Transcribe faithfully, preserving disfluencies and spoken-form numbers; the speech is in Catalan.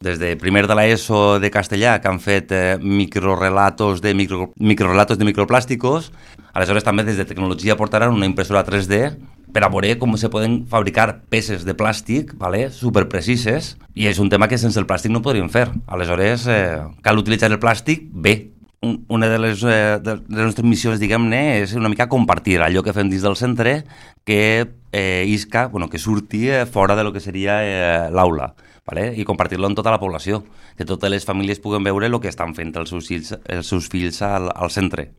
des de primer de l'ESO de castellà, que han fet eh, microrelatos de, micro, microrelatos de microplàsticos. Aleshores també des de tecnologia portaran una impressora tres D per a veure com se poden fabricar peces de plàstic, vale, superprecises, i és un tema que sense el plàstic no podríem fer. Aleshores eh, cal utilitzar el plàstic bé. Una de les, eh, de les nostres missions, diguem-ne, és una mica compartir allò que fem dins del centre que eh, isca, bueno, que surti eh, fora de lo que seria eh, l'aula. Vale? I compartir-lo amb tota la població, que totes les famílies puguen veure el que estan fent els seus fills, els seus fills al, al centre.